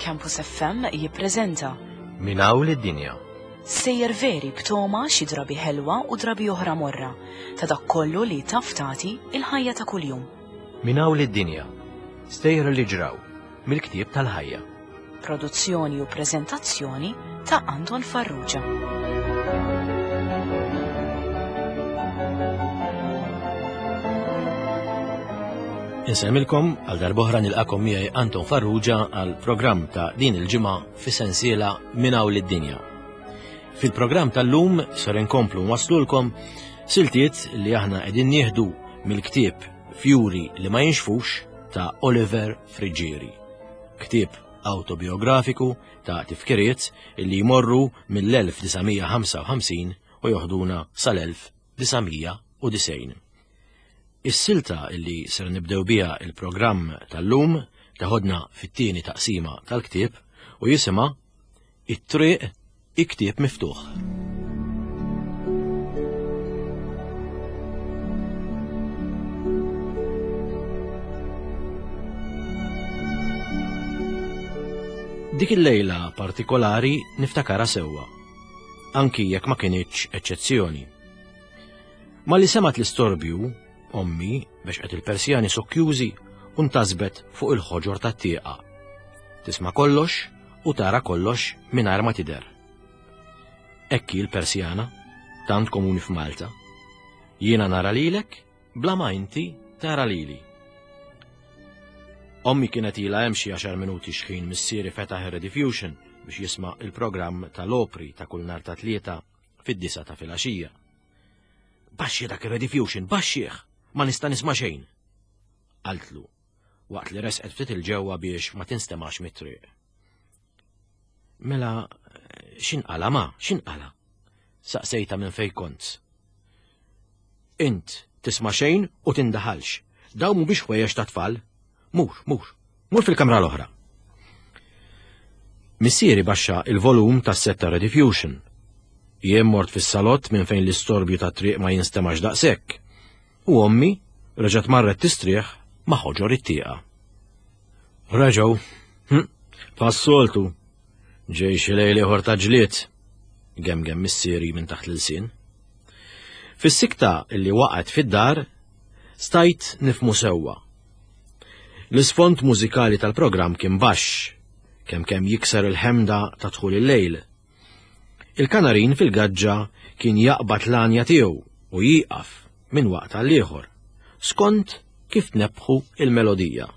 Campus FM jippreżenta Min hawn lid-dinja. Sejjer veri b'toma xi drabi ħelwa u drabi oħra morra ta' dak kollu li taf tagħti il-ħajja ta' kuljum. Min hawn lid-dinja. Stejjer li ġraw mill-ktieb tal-ħajja. Produzzjoni u preżentazzjoni ta' Anton Farrugia. Insemmilkom għal darbohra nilqakom miegħi Anton Farrugia għal programm ta' din il-ġimgħa fi sensiela Minn hawn lid-dinja. Fil-programm tal-lum ser inkomplu nwaslulkom siltiet li aħna qegħdin nieħdu mill-ktieb Fjuri li ma jinxfux ta' Oliver Friggieri. Ktieb autobiografiku ta' tifkiriet li jmorru mill-1955 u joħduna sal-1990. Is-silta li ser nibdew biha il-programm tal-lum teħodna fit-tieni taqsima tal-ktieb u jisimha It-triq i-ktieb miftuħ. Dik il-lejla partikolari niftakara sewwa, anki jekk ma kinitx eċċezzjoni. Ma li semat l-istorbju, ommi bexqet il-persjani sokkjużi u ntasbet fuq il-ħoġor tat-tieqa. Tisma' kollox u tara kollox mingħajr ma tidher. Hekk hi l-persjana, tant komuni f'Malta. Jiena nara lilek bla ma inti tara lili. Ommi kienet ilha hemm xi għaxar minuti xħin missieri fetaħ ir-Rediffusion biex jisma' il-programm tal-opri ta' kull nhar ta' tlieta fid-disa ta' filgħaxija. Baxxi dak ir-Rediffusion, baxxih! Ma nista' nisma' xejn! Qaltlu, waqt li resqet ftit il-ġewwa biex ma tinstemax mit-triq. Mela, x'inqala ma, x'inqala? Saqsejta minn fej kont. Int tisma' xejn u tindaħalx. Dawn mhumiex ħwejjeġ ta' tfal. Mur, mur, mur fil-kamra l-oħra. Missieri baxxa il-volum tas-set ta' Rediffusion. Jien mort fis-salott minn fejn l-istorbju tat-triq ma jinstemax daqshekk. U ommi reġgħet marret tistrieħ ma' ħoġor it-tieqa. Reġgħu, hm, bħas-soltu, ġej xi lejl ieħor ta' ġlied, gemgem missieri minn taħt l-ilsien. Fis-sikta li waqgħet fid-dar, stajt nifmu sewwa. L-isfond mużikali tal-programm kien baxx, kemm kemm jikser il-ħemda ta' dħul il-lejl. Il-kanarin fil-gaġġa kien jaqbad l-għanja tiegħu u jieqaf minn waqt għal ieħor, skont kif tnebbħu il-melodija.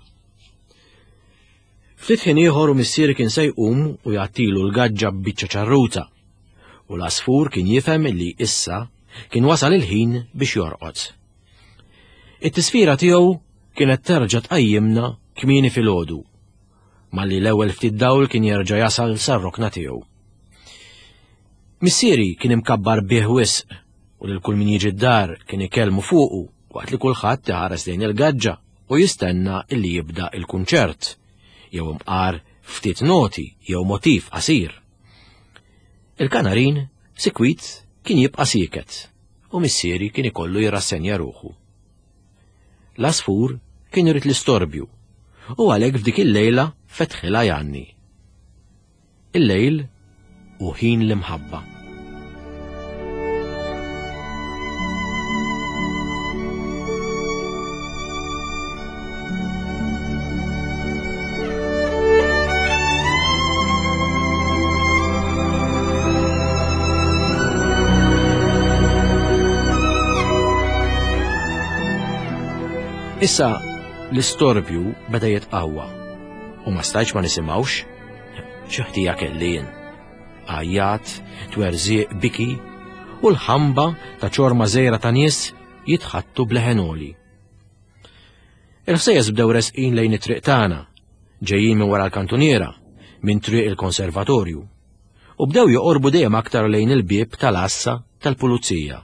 Ftit ħin ieħor u missieri kien se jqum u jgħattilu l-gaġġa b'biċċa ċarruta, u l-għasfur kien jifhem li issa kien wasal il-ħin biex jorqod. It-tisfira tiegħu kienet terġa' tqajjimna kmieni filgħodu, malli l-ewwel ftit dawl kien jerġa' jasal sar-rokna tiegħu. Missieri kien imkabbar bih wisq u lil kull min jiġi d-dar kien ikellmu fuqu waqt li kulħadd iħares lejn il-gaġġa u jistenna illi jibda il-kunċert, jew imqar ftit noti jew motiv qasir. Il-kanarin sikwit kien jibqa' sieket u missieri kien ikollu jirrassenja ruħu. L-għasfur kien irid l-istorbju u għalhekk f'dik il-lejla fetħilha jgħanni. Il-lejl hu ħin l-imħabba. Issa l-istorbju beda jitqawwa u ma stajtx ma nisimgħux. Xi ħtija kelli jien. Għajjat, twerżiq, biki u l-ħamba ta' ċorma żgħira ta' nies jitħattu bleħenoli. Il-ħsejjes bdew resqin lejn it-triq tagħna, ġejjin minn wara l-kantuniera, minn triq il-konservatorju, u bdew joqorbu dejjem aktar lejn il-bieb tal-għassa tal-pulizija.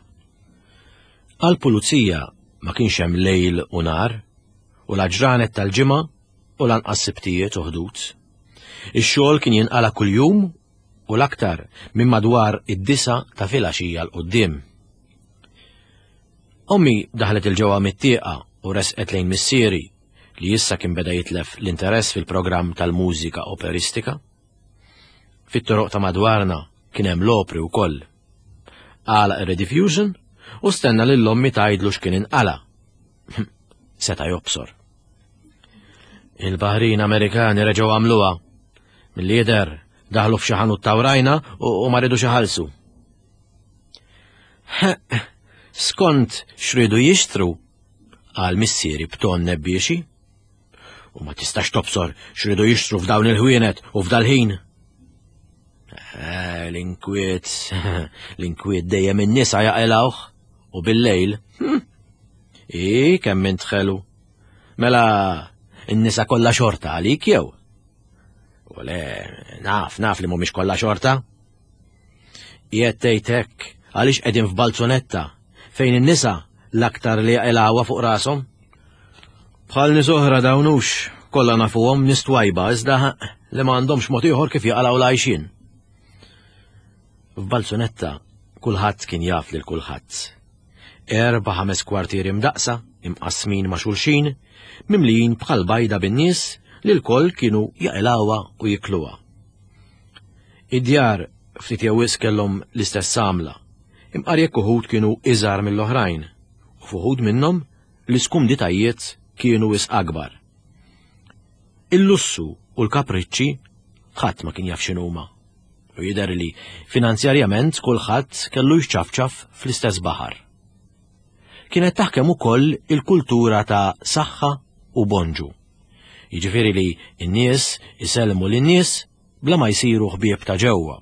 Għall-pulizija ma kienx hemm lejl u nar, u la ġranet tal-ġimgħa u lanqas sibtijiet u ħdud. Ix-xogħol kien jinqala kuljum u l-aktar minn madwar id-disa ta' filgħaxija 'l quddiem. Ommi daħlet il-ġewwa mit-tieqa u resqet lejn missieri. li issa kien beda jitlef l-interess fil-programm tal-mużika operistika. Fit-toroq ta' madwarna kien hemm l-opri wkoll. Għalaq ir-rediffusion u stenna lil ommi tgħidlu x'kien inqala. Seta' jobsor. Il-Baħrin Amerikani reġgħu għamluha. Milli jidher daħlu f'xi ħanut tawrajna u ma ridux iħallsu. Skont x'ridu jixtru, qal missieri b'ton nebbiexi. U ma tistax tobsor x'ridu jixtru f'dawn il-ħwienet u f'dal-ħin. Eh, l-inkwiet, l-inkwiet dejjem in-nisa jaqilgħuh u bil-lejl. Hm, I kemm int ħelu. Mela, n-nisa kollha xorta għalik jew? U le, naf, naf li mhumiex kollha xorta. Qiegħed tgħid hekk għaliex qegħdin f'balzunetta fejn in-nisa l-aktar li jaqilgħuha fuq rashom. Bħal nies oħra dawn hux kollha nafuhom nies twajba iżda li ma għandhomx mod ieħor kif jaqalgħu l-għajxien. F'Balzunetta kulħadd kien jaf lil kulħadd. Erba' ħames kwartieri mdaqqsa, imqassmin ma' xulxin, mimlijin bħal bajda bin-nies li lkoll kienu jaqilgħuha u jikluha. Id-djar ftit jew wisq kellhom l-istess għamla, imqar jekk uħud kienu iżgħar mill-oħrajn, u f'uħud minnhom l-iskumditajiet kienu wisq akbar. Il-lussu u l-kapriċċi ħadd ma kien jaf x'inhuma. U jidher li finanzjarjament kulħadd kellu jċafċaf fl-istess baħar. Kienet taħkem ukoll il-kultura ta' saħħa u bonġu. Jiġifieri li n-nies isellmu lin-nies bla ma jsiru ħbieb ta' ġewwa.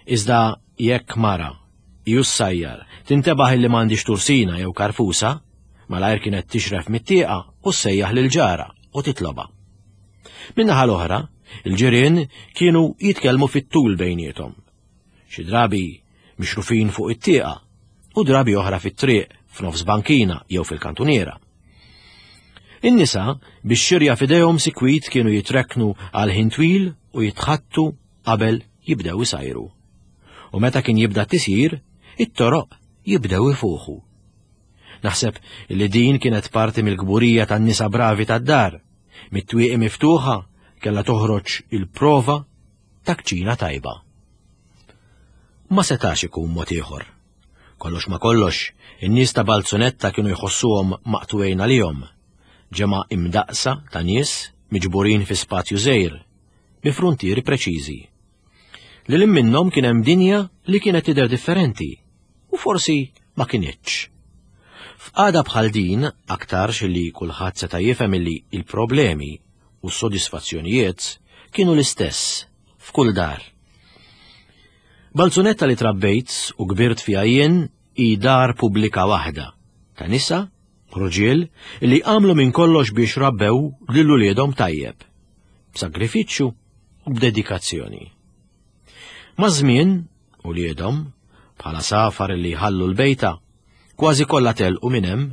Iżda jekk mara ju ssajjar tintebaħ illi m'għandix tursina jew karfusa, malajr kienet tixref mit-tieqa u ssejjaħ lil ġara u titlobha. Min-naħa l-oħra, il-ġirien kienu jitkellmu fit-tul bejniethom. Xi drabi mixrufin fuq it-tieqa u drabi oħra fit-triq, f'nofs bankina jew fil-kantuniera. In-nisa bix-xirja f'idejhom sikwit kienu jitrekknu għal ħin twil u jitħattu qabel jibdew isajru. U meta kien jibda t-tisjir, it-toroq jibdew ifuħu. Naħseb li din kienet parti mill-kburija tan-nisa bravi tad-dar, mit-twieqi miftuħa kellha toħroġ il-prova ta' kċina tajba. Ma setax ikun mod ieħor. Kollox ma kollox, in-nies ta' Balzunetta kienu jħossuhom maqtugħin għalihom, ġemgħa imdaqqsa ta' nies miġburin fi spazju żgħir, bi fruntieri preċiżi. Lil hinn minnhom kien hemm dinja li kienet tidher differenti, u forsi ma kinitx. F'qagħda bħal din, aktarx li kulħadd seta' jifhem illi l-problemi u s-sodisfazzjonijiet kienu l-istess f'kull dar. Balzunetta li trabbejt u kbirt fiha jien hi dar pubblika waħda, ta' nisa, rġiel, li għamlu minn kollox biex rabbew lil uliedhom tajjeb, b'sagrifiċċju u b'dedikazzjoni. Maż-żmien, uliedhom, bħala safar li jħallu l-bejta, kważi kollha telqu minn hemm,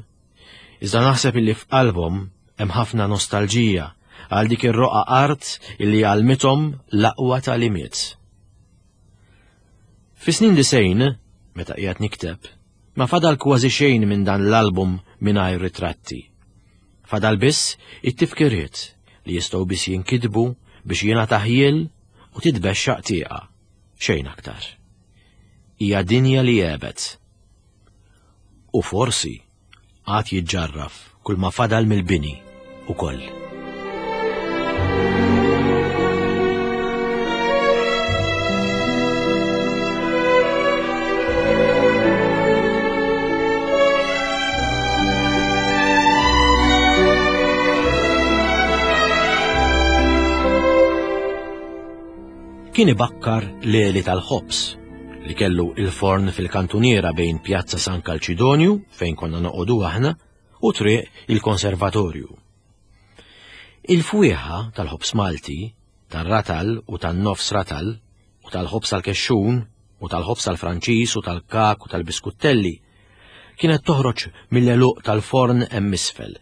iżda naħseb illi f'qalbhom hemm ħafna nostalġija għal dik ir-roqa art illi għallmithom l-aqwa tagħlimiet. Fis-snin disejn, meta qiegħed nikteb, ma fadal kważi xejn minn dan l-album mingħajr ritratti. Fadal biss it-tifkiriet li jistgħu biss jinkitbu biex jingħata ħjiel u titbexxaq tieqa, xejn aktar. Hija dinja li għebet. U forsi għad jiġġarraf kull ma fadal mill-bini ukoll. Kien ibakkar l-għeli tal-ħobż li kellu il-forn fil-kantuniera bejn Pjazza San Kalċidonju, fejn konna noqogħdu aħna, u triq il-Konservatorju. Il-fwieħa tal-ħobż Malti, tar-ratal u tan-nofs ratal, u tal-ħobż tal-kexxun, u tal-ħobż tal-Franċiż u tal-kak u tal-biskuttelli, kienet toħroġ mill-għeluq tal-forn hemm isfel,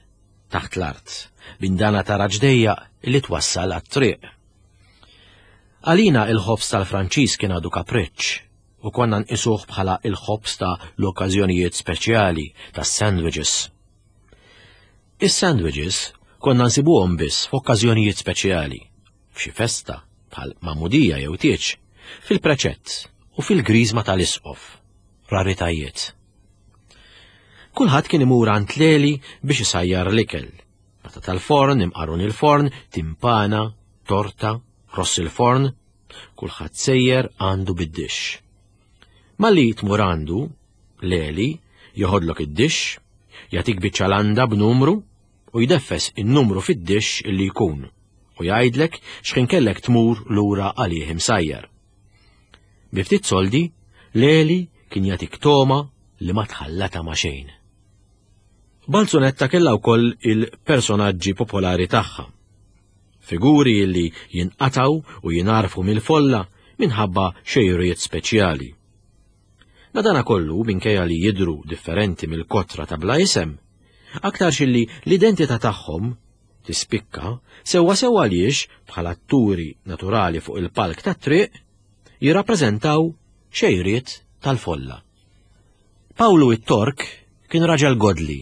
taħt l-art, bindana taraġ dejjaq li twassal għat-triq. Għalina il-ħobż tal-Franċiż kien għadu kapriċċ u konna nqisuh bħala il-ħobż ta' l-okkażjonijiet speċjali, tas-sandwiches. Is-sandwiches Konna nsibuhom biss f'okkażjonijiet speċjali, f'xi festa bħal magħmudija jew tieġ, fil-preċett u fil-griżma tal-isqof. Raritajiet. Kulħadd kien imur għand Leli biex isajjar l-ikel. Pata tal-forn, imqarun il-forn, timpana, torta, ross il-forn, kulħadd sejjer għandu bid-dixx. Malli tmur għandu, Leli joħodlok id-dixx, jagħtik biċċa landa b'numru u jdeffes in-numru fid-dixx illi jkun u jgħidlek x'ħin kellek tmur lura għalih imsajjar. Bi ftit soldi, Leli kien jagħtik toma li ma tħallata ma' xejn. Balzunetta kellha wkoll il-personaġġi popolari tagħha. Figuri li jinqataw u jingħarfu mill-folla minħabba xejriet speċjali. Madanakollu, minkejja li jidhru differenti mill-kotra ta' bla isem, aktarx illi l-identità tagħhom tispikka sewwa sew għaliex bħala atturi naturali fuq il-palk tat-triq jirrappreżentaw xejriet tal-folla. Pawlu it-Tork kien raġel godli,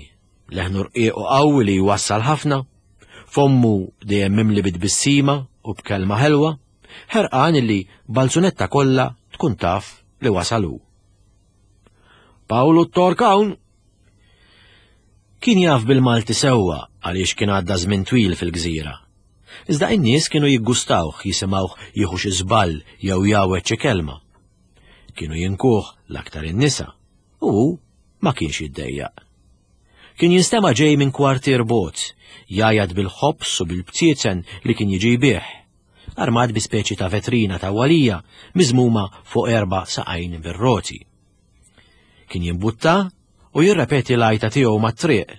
leħnu rqiq u qawwi li jwassal ħafna, fommu dejjem mimli bit-tbissima u b'kelma ħelwa, ħerqan illi balzunetta kollha tkun taf li wasal hu. Pawlu t-Tork hawn! Kien jaf bil-Malti sewwa għaliex kien għadda żmien twil fil-gżira. Iżda in-nies kienu jiggustawh jisimgħuh jieħu xi żball jew jgħawweġ xi kelma. Kienu jinkuh l-aktar in-nisa u hu ma kienx jiddejjaq. Kien jinstema' ġej minn kwartier bogħod, jgħajjat bil-ħobż u bil-btiezen li kien jiġi jbigħ, armat bi speċi ta' vetrina tawwalija miżmuma fuq erba' saqajn bir-roti. Kien jimbutta u jirrepeti l-għajta tiegħu mat-triq.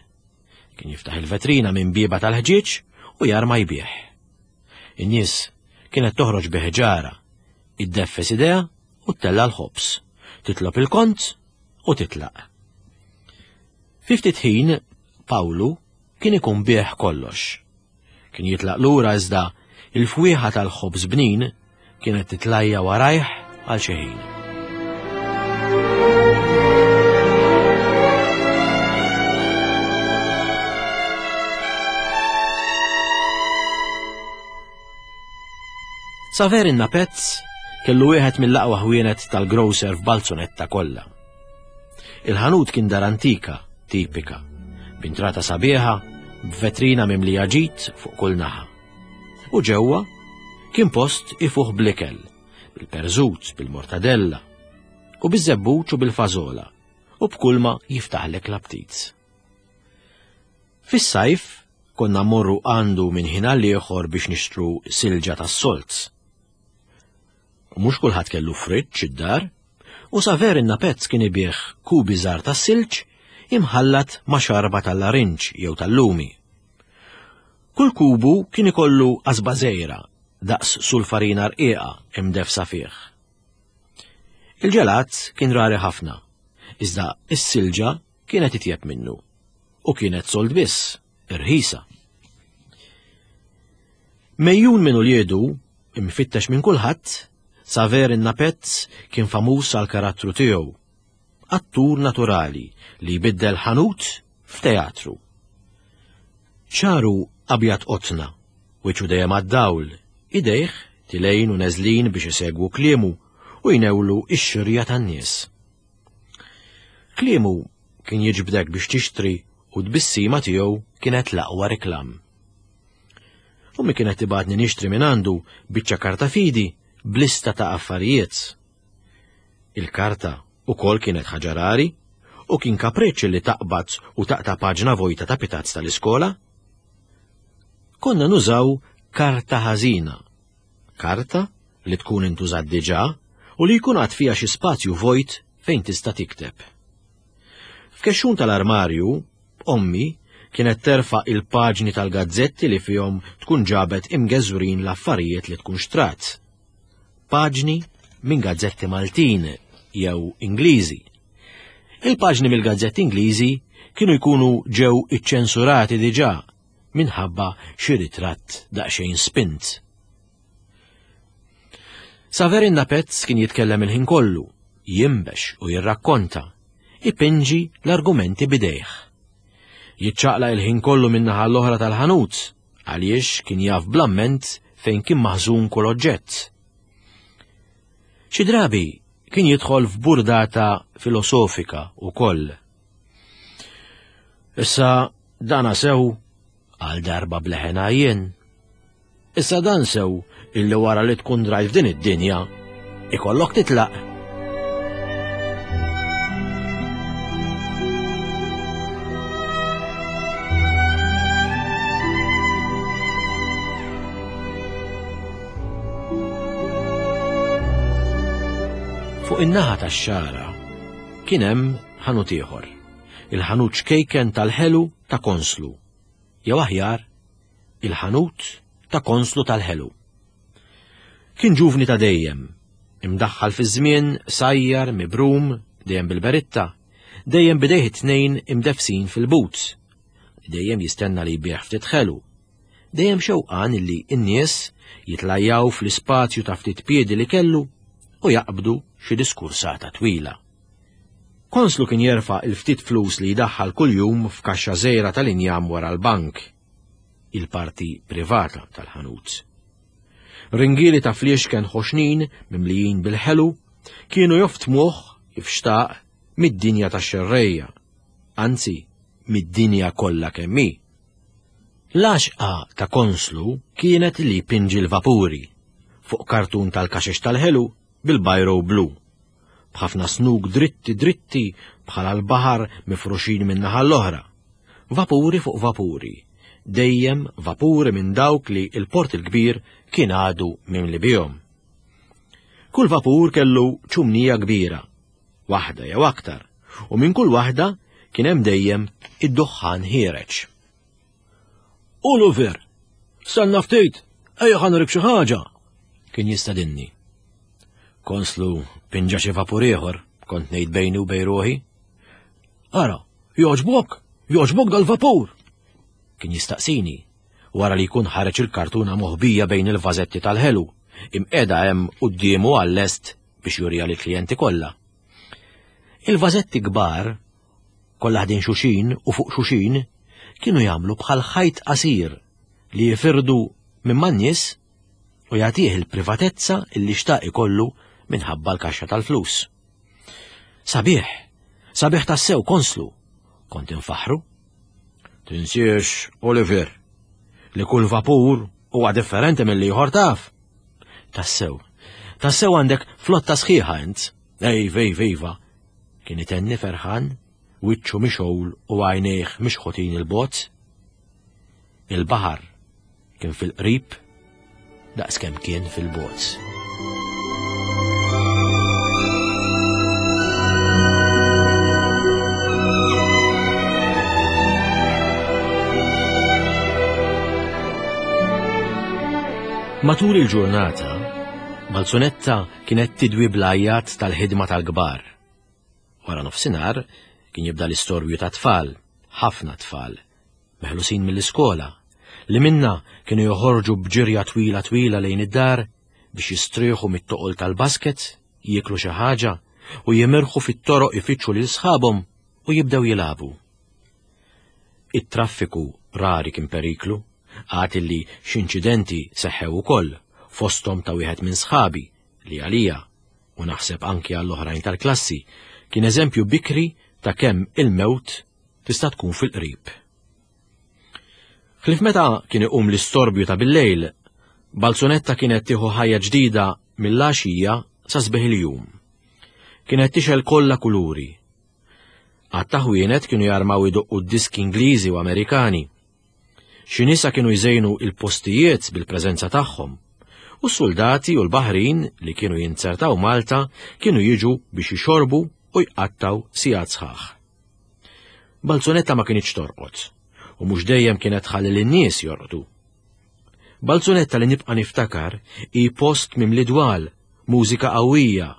Kien jiftaħ il-vetrina minn bieba tal-ħġieġ u jarma jbigħ. In-nies kienet toħroġ bi ħġara, iddeffes idea u ttella' l-ħobż, titlob il-kont u titlaq. Fi ftit ħin, Pawlu kien ikun bih kollox. Kien jitlaq lura iżda il-fwieħa tal-ħobż bnin kienet titlajja warajh għal xi ħin. Saver in-Napezz kellu wieħed mill-aqwa ħwienet tal-grocer f'Balzunetta kollha. Il-ħanut kien dar antika, tipika, b'intrata sabiħa, b'vetrina mimlija ġid fuq kull naħa. U ġewwa kien post ifuħ blikel, bil-perżut, bil-mortadella, u biż-żebbuġ u bil-fażola, u b'kulma jiftaħlek l-aptit. Fis-sajf konna mmorru għandu minn ħin għal ieħor biex nixtru silġa tas-solz. U mhux kulħadd kellu friġġ id-dar, u Saver in-Napezz kien ibigħ kubi żgħar tas-silġ imħallat ma' xarba tal-larinġ jew tal-lumi. Kull kubu kien ikollu qasba żgħira daqs sulfarina rqiqa imdeffsa fih. Il-ġelat kien rari ħafna, iżda s-silġa kienet itjeb minnu u kienet sold biss, irħisa. Mejjun minn uliedu, imfittex minn kulħadd, Saver in-Napezz kien famuż għal karattru tiegħu. Attur naturali li jbiddel ħanut f'teatru. Xagħru abjad qotna, wiċċu dejjem għad-dawl, idejh tilejn u neżlin biex isegwu kliemu u jnewlu x-xirja tan-nies. Kliemu kien jiġbdek biex tixtri u t-tbissima tiegħu kienet l-aqwa reklam. Ommi kienet tibgħatni nixtri minn għandu biċċa karta fidi b'lista ta' affarijiet. Il-karta ukoll kienet ħaġa rari u kien kapriċċ li taqbad u taqta' paġna vojta ta' pitazz tal-iskola. Konna nużaw karta ħażina. Karta li tkun intużat diġà u li jkun għad fiha xi spazju vojt fejn tista' tikteb. F'kexxun tal-armarju, ommi kienet terfa' il-paġni tal-gazzetti li fihom tkun ġabet imgeżwrin l-affarijiet li tkun xtrat. Paġni minn gazzetti Maltin jew Ingliżi. Il-paġni mill-gazzetti Ingliżi kienu jkunu ġew iċċensurati diġà minħabba xi ritratt daqsxejn spint. Saverin Napezz kien jitkellem il-ħin kollu, jinbex u jirrakkonta, ipinġi l-argumenti bidejh. Jiċċaqlaq il-ħin kollu min-naħa l-oħra tal-ħanut għaliex kien jaf bl-amment fejn kien maħżun kull oġġett. Xi drabi kien jidħol f'burdata filosofika wkoll. Issa dana sew għal darba bleħen għajjen. Issa dan sew illi wara li tkun drajt f'din id-dinja, ikollok titlaq. Fuq in-naħa tax-xara kien hemm ħanut ieħor, il-ħanut ċkejken tal-ħelu ta' Konslu, jew aħjar il-ħanut ta' Konslu tal-ħelu. Kien ġuvni ta' dejjem, imdaħħal fiż-żmien, sajjar, mibrum, dejjem bil-beritta, dejjem bidejh it-tnejn imdeffsin fil-boots, dejjem jistenna li jbigħ ftit ħelu, dejjem xewqan illi n-nies jitlajjaw fl-ispazju ta' ftit piedi li kellu u jaqbdu xi diskursata twila. Konslu kien jerfa' il-ftit flus li jdaħħal kuljum f'kaxxa żgħira tal-injam wara l-bank, il-parti privata tal-ħanut. Ringieli ta' fliexken ħoxnin mimlijin bil-ħelu kienu joftmuh kif xtaq mid-dinja tax-xerrejja, anzi mid-dinja kollha kemm hi. L-għaxqa ta' Konslu kienet li jpinġi l-vapuri fuq kartun tal-kaxex tal-ħelu bil-bajro blu, b'ħafna snug dritti dritti bħala l-baħar mifruxin minn naħa l-oħra. Vapuri fuq vapuri, dejjem vapuri minn dawk li l-Port il-Kbir kien għadu mimli bihom. Kull vapur kellu ċumnija kbira, waħda jew aktar, u minn kull waħda kien hemm dejjem id-duħħan ħiereġ. Oliver, stenna ftit, ejja ħa nurik xi ħaġa, kien jistedinni. Konslu pinġa xi vapur ieħor, kont ngħid bejni u bejn ruħi. Ara, jogħġbok, jogħġbok dal-vapur! Kien jistaqsini, wara li jkun ħareġ il-kartuna moħbija bejn il-vażetti tal-ħelu, imqiegħda hemm quddiemu għal-lest biex juriha lill-klijenti kollha. Il-vażetti kbar kollha ħdejn xuxin u fuq xuxin, kienu jagħmlu bħal ħajt qasir li jifirdu minn man-nies u jagħtih il-privatezza illi xtaq ikollu minħabba l-kaxxa tal-flus. Sabiħ, sabiħ tassew konslu, kont infaħru. Tinsiex, Oliver, li kull vapur huwa differenti mill-ieħor taf. Tassew, tassew għandek flotta sħiħa int. Ej, vej, vejva, Kien itenni ferħan, wiċċu mixgħul u għajnejh mixħutin 'il bogħod. Il-baħar kien fil-qrib daqskemm kien fil-bogħod. Matul il-ġurnata, Balzunetta kienet tidwi bl-għajjat tal-ħidma tal-kbar. Wara nofsinhar kien jibda l-istorbju ta' tfal, ħafna tfal, meħlusin mill-iskola, li minna kienu joħorġu b'ġirja twila twila lejn id-dar biex jistrieħu mit-toqol tal-basket, jieklu xi ħaġa u jimirħu fit-toroq ifittxu lil sħabhom u jibdew jilagħbu. It-traffiku rari kien periklu, għad illi x'inċidenti seħħew ukoll, fosthom ta' wieħed minn sħabi li għalija u naħseb anki għall-oħrajn tal-klassi, kien eżempju bikri ta' kemm il-mewt tista' tkun fil-qrib. Ħlief meta kien iqum l-istorbju ta' billejl, Balzunetta kienet tieħu ħajja ġdida mill-għaxija sa sbieħ il-jum. Kienet tixgħel kollha kuluri. Għadd ta' ħwienet kienu jarmaw idoqqu d-diski Ingliżi u Amerikani. Xi nisa kienu jżejnu il-postijiet bil-preżenza tagħhom, u s-suldati u l-baħrin li kienu jinzertaw Malta kienu jiġu biex jixorbu u jqattgħu sigħat sħaħ. Balzunetta ma kinitx torqod, u mhux dejjem kienet tħalli lin-nies jorqdu. Balzunetta li nibqa' niftakar hi post mimli dwal, mużika qawwija,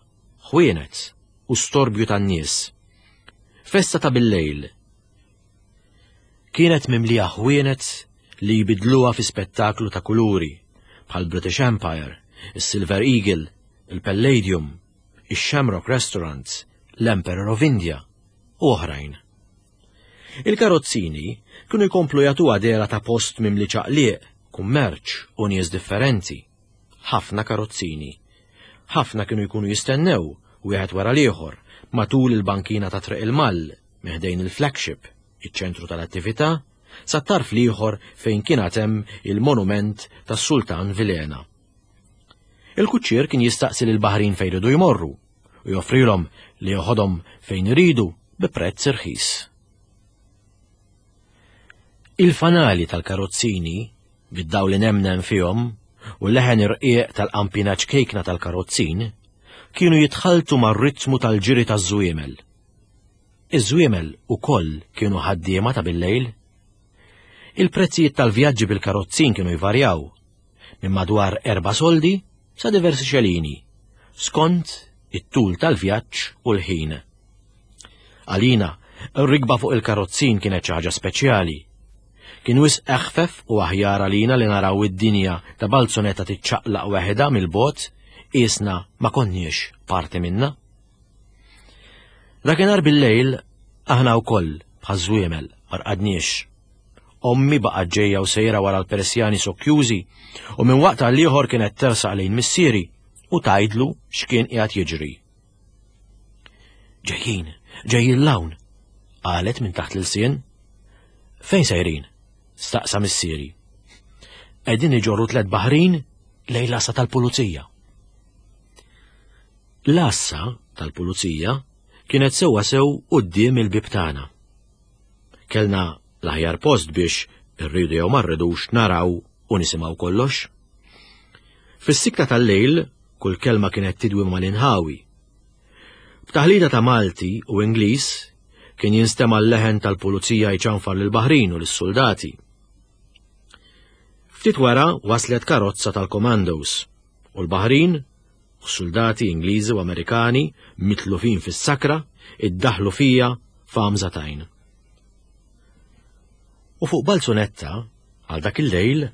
ħwienet u storbju tan-nies. Festa ta' billejl Kienet mimlija ħwienet li jbiddluha fi spettaklu ta' kuluri, bħal British Empire, is-Silver Eagle, il-Palladium, ix-Shamrock Restaurant, l-Emperor of India u oħrajn. Il-karozzini kienu jkomplu jagħtuha dehra ta' post mimli ċaqliq, kummerċ u nies differenti. Ħafna karozzini. Ħafna kienu jkunu jistennew, wieħed wara l-ieħor, matul il-bankina ta' Triq il-Mall, minn ħdejn il-flagship, iċ-ċentru tal-attività, sat-tarf l-ieħor fejn kien għad hemm il-monument tas-Sultan Vilhena. Il-kuċċier kien jistaqsi lill-baħrin fejn iridu jmorru u joffrilhom li joħodhom fejn iridu bi prezz irħis. Il-fanali tal-karozzini, bid-dawl inemnem fihom u l-leħen irqiq tal-qampina ċkejkna tal-karozzin, kienu jitħalltu mar-ritmu tal-ġiri taż-żwiemel. Iż-żwiemel ukoll kienu ħaddiema ta' billejl. Il-prezzijiet tal-vjaġġi bil-karozzin kienu jvarjaw minn madwar erba' soldi sa diversi xelini, skont it-tul tal-vjaġġ u l-ħin. Għalina, r-rikba fuq il-karozzin kienet xi ħaġa speċjali. Kien wisq eħfef u aħjar għalina li naraw id-dinja ta' Balzunetta tiċċaqlaq weħidha mill-bogħod qiesna ma konniex parti minnha. Dakinhar bil-lejl aħna wkoll bħaż-żwiemel ma rqadniex. Ommi baqgħet ġejja u sejra wara l-persjani sokkjużi u minn waqt għal ieħor kienet tersaq lejn missieri u tgħidlu x'kien qiegħed jiġri. Ġejjin, ġejjin l-hawn, qalet minn taħt l-ilsien. Fejn sejrin? staqsa missieri. Qegħdin iġorru tlet baħrin lejn l-għassa tal-pulizija. L-għassa tal-pulizija kienet sewwa sew quddiem il-bieb tagħna. Kellna l-aħjar post biex irridu jew ma rridux naraw u nisimgħu kollox. Fis-sikta tal-lejl kull kelma kienet tidwi mal-inħawi. B'taħlita ta' Malti u Ingliż kien jinstema' l-leħen tal-pulizija jċanfar lill-baħrin u lis-suldati. Ftit wara waslet karozza tal-commandos u l-baħrin u suldati Ingliżi u Amerikani mitlufin fis-sakra iddaħlu fija f'għamża t'għajn. U fuq balzunetta, għal dak il-lejl,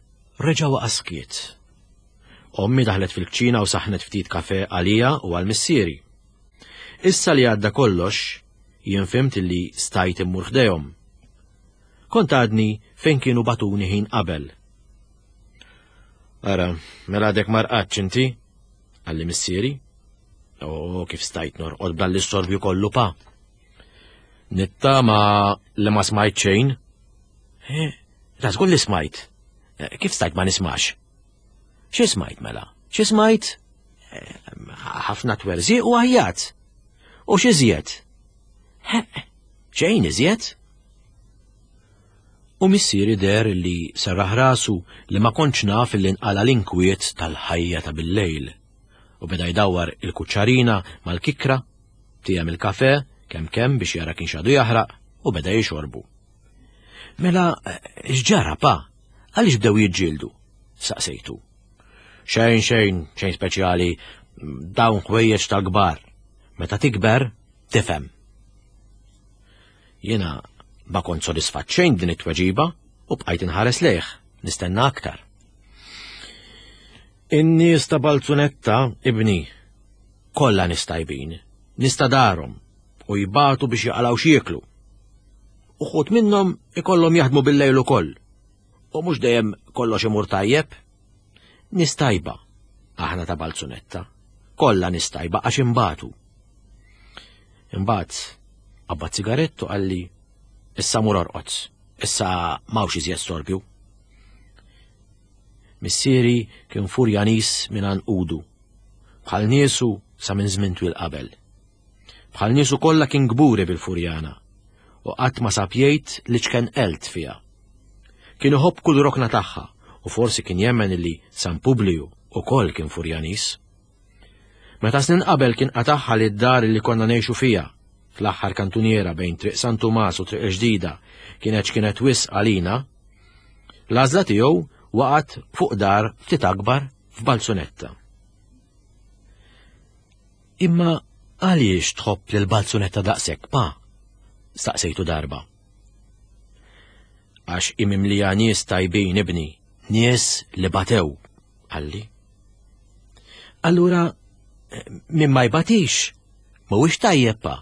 reġa' waqa' skiet. Ommi daħlet fil-kċina u saħnet ftit kafe għalija u għal missieri. Issa li għadda kollox, jien fhimt li stajt immur ħdejhom. Kont għadni fejn kienu batuni ħin qabel. Ara, mela għadek ma rqadx inti? Qalli missieri. O, kif stajt norqod b'dan l-istorbju kollu pa. Nittama li ma smajt xejn. Eh, ta' żgur li smajt. Eh, kif stajt ma nismax? Xi smajt mela? Xi smajt? Eh, ħafna twerżiq u għajjat. U xi żjed? Xejn iżjed? U missieri deher li serraħ rasu li ma kontx naf li nqala l-inkwiet tal-ħajja ta' billejl. U beda jdawwar il-kuċċarina mal-kikra, tiegħem il-kafe kemm kemm biex jara kienx għadu jaħraq u beda jixorbu. Mela, x'ġara pa? Għaliex bdew jiġġieldu? Saqsejtu. Xejn, xejn, xejn speċjali, dawn ħwejjeġ tal-kbar. Meta tikber, tifhem. Jiena ma kont sodisfatt xejn din it-tweġiba u bqajt inħares lejh, nistenna aktar. In-nies ta' Balzunetta, ibni, kollha nies tajbin, nies ta' darhom u jbatu biex jaqalgħu x'jieklu. Uħud minnhom ikollhom jaħdmu bil-lejl ukoll. U mhux dejjem kollox imur tajjeb. Nies tajba, aħna ta' Balzunetta. Kollha nies tajba għax imbatu. Imbagħad qabbad sigarett u qalli issa mur orqod, issa m'hawnx iżjed storbju. Missieri kien furjanis minn għanqudu, bħal niesu sa minn żmien twil qabel. Bħal niesu kollha kien kburi bil-Furjana u qatt ma sab jgħid li ċken elt fiha. Kien iħobb kull rokna tagħha u forsi kien jemmen li San Publiju ukoll kien Furjanis. Meta snin qabel kien qatagħha li d-dar li konna ngħixu fiha, fl-aħħar kantuniera bejn Triq San Tumas u Triq il-Ġdida, kienet x'kienet wisq għalina, l-għażla tiegħu waqgħet fuq dar ftit akbar f'Balzunetta. Imma għaliex tħobb lil Balzunetta daqshekk, pa? Staqsejtu darba. Għax imimlija nies tajbin ibni, nies li batew, qalli. Allura, min ma jbatix, mhuwiex tajjeb pa.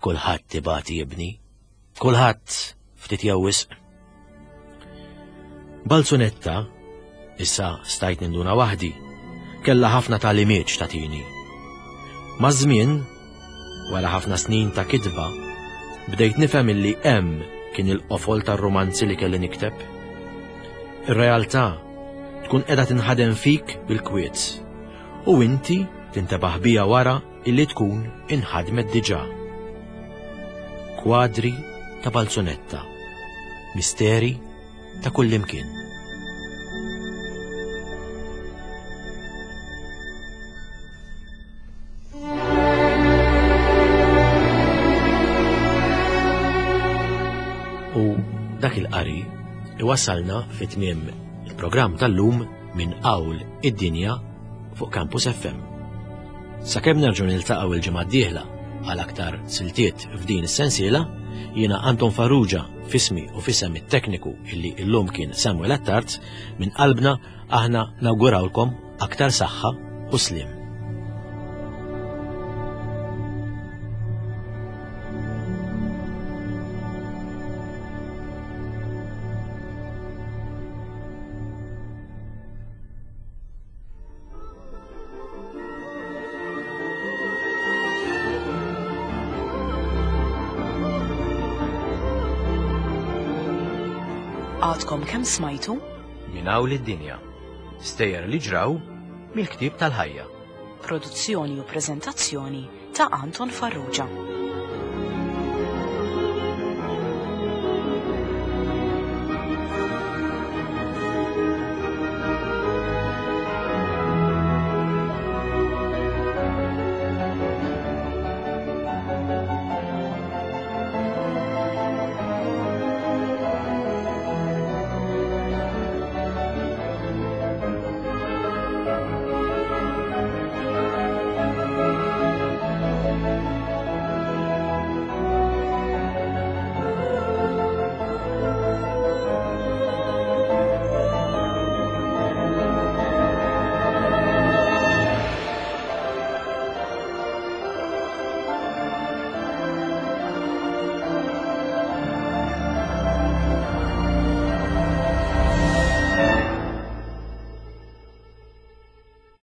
Kulħadd ibati ibni. Kulħadd ftit jew wisq. Balzunetta, issa stajt ninduna waħdi, kellha ħafna tagħlimiet x'tagħtini. Maż-żmien, wara ħafna snin ta' kitba, bdejt nifhem illi hemm kien il-qofol tar-rumanzi li kelli nikteb. Ir-realtà tkun qiegħda tinħadem fik bil-kwiet u inti tintebaħ biha wara illi tkun inħadmet diġà. Kwadri ta' Balzunetta. Misteri ta' kullimkien. U dak il-qari iwassalna fi tmiem il-programm tal-lum minn Qawl id-Dinja fuq Campus FM. Sakemm nerġgħu niltaqgħu il-ġimgħa d-dieħla għal aktar siltiet f'din is-sensiela, jiena Anton Farrugia fismi u fisem it-tekniku illi illum kien Samuel Attard minn qalbna aħna nawgurawlkom aktar saħħa u sliem. Għadkom kemm smajtu? Minn hawn id-dinja. Stejjer li ġraw mill-ktieb tal-ħajja. Produzzjoni u preżentazzjoni ta' Anton Farrugia.